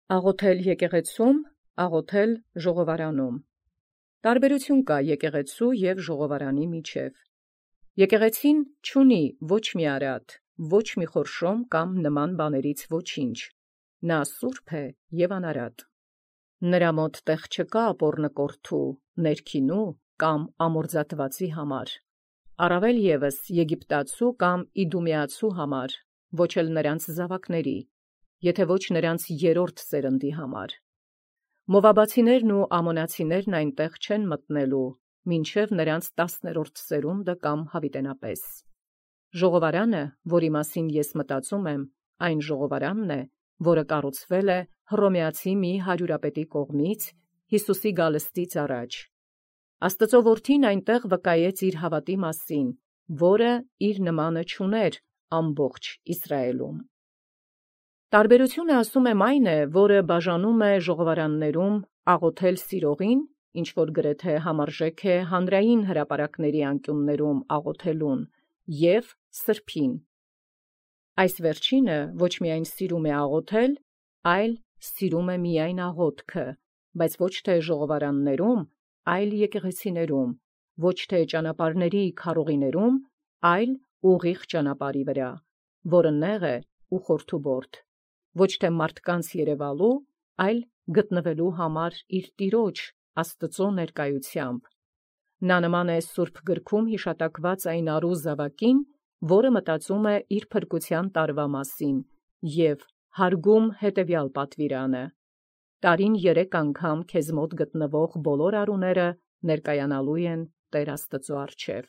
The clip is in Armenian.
Աղոթել եկեղեցում, աղոթել ժողովարանում։ Տարբերություն կա եկեղեցու և ժողովարանի միջև։ Եկեղեցին չունի ոչ մի արատ, ոչ մի խորշոմ կամ նման բաներից ոչինչ։ Նա սուրբ է և անարատ։ Նրա մոտ տեղ չկա ապոռնկորդու, ներքինու կամ ամորձատվածի համար, առավել ևս եգիպտացու կամ իդումեացու համար, ոչ էլ նրանց զավակների, եթե ոչ նրանց երրորդ սերնդի համար։ Մովաբացիներն ու ամոնացիներն այնտեղ չեն մտնելու, մինչև նրանց 10-րդ սերունդը կամ հավիտենապես։ Ժողովարանը, որի մասին ես մտածում եմ, այն ժողովարանն է, որը կառուցվել է հռոմեացի մի հարյուրապետի կողմից Հիսուսի գալստից առաջ։ Աստծո որդին այնտեղ վկայեց իր հավատի մասին, որը իր նմանը չուներ ամբողջ Իսրայելում։ Տարբերությունը, ասում եմ, այն է, որը բաժանում է ժողովարաններում աղոթել սիրողին, ինչ որ գրեթե համարժեք է հանրային հրապարակների անկյուններում աղոթելուն, և սրբին։ Այս վերջինը ոչ միայն սիրում է աղոթել, այլ սիրում է միայն աղոթքը, բայց ոչ թե ժողովարաններում, այլ եկեղեցիներում, ոչ թե ճանապարհների քարողիներում, այլ ուղիղ ճանապարհի վրա, որը նեղ է ու խորթուբորդ, ոչ թե մարդկանց երևալու, այլ գտնվելու համար իր Տիրոջ Աստծո ներկայությամբ։ Նա նման է Սուրբ գրքում հիշատակված այն առու զավակին, որը մտածում է իր փրկության տարվա մասին և հարգում հետևյալ պատվիրանը. տարին 3 անգամ քեզ մոտ գտնվող բոլոր առուները ներկայանալու են Տեր Աստծո առջև։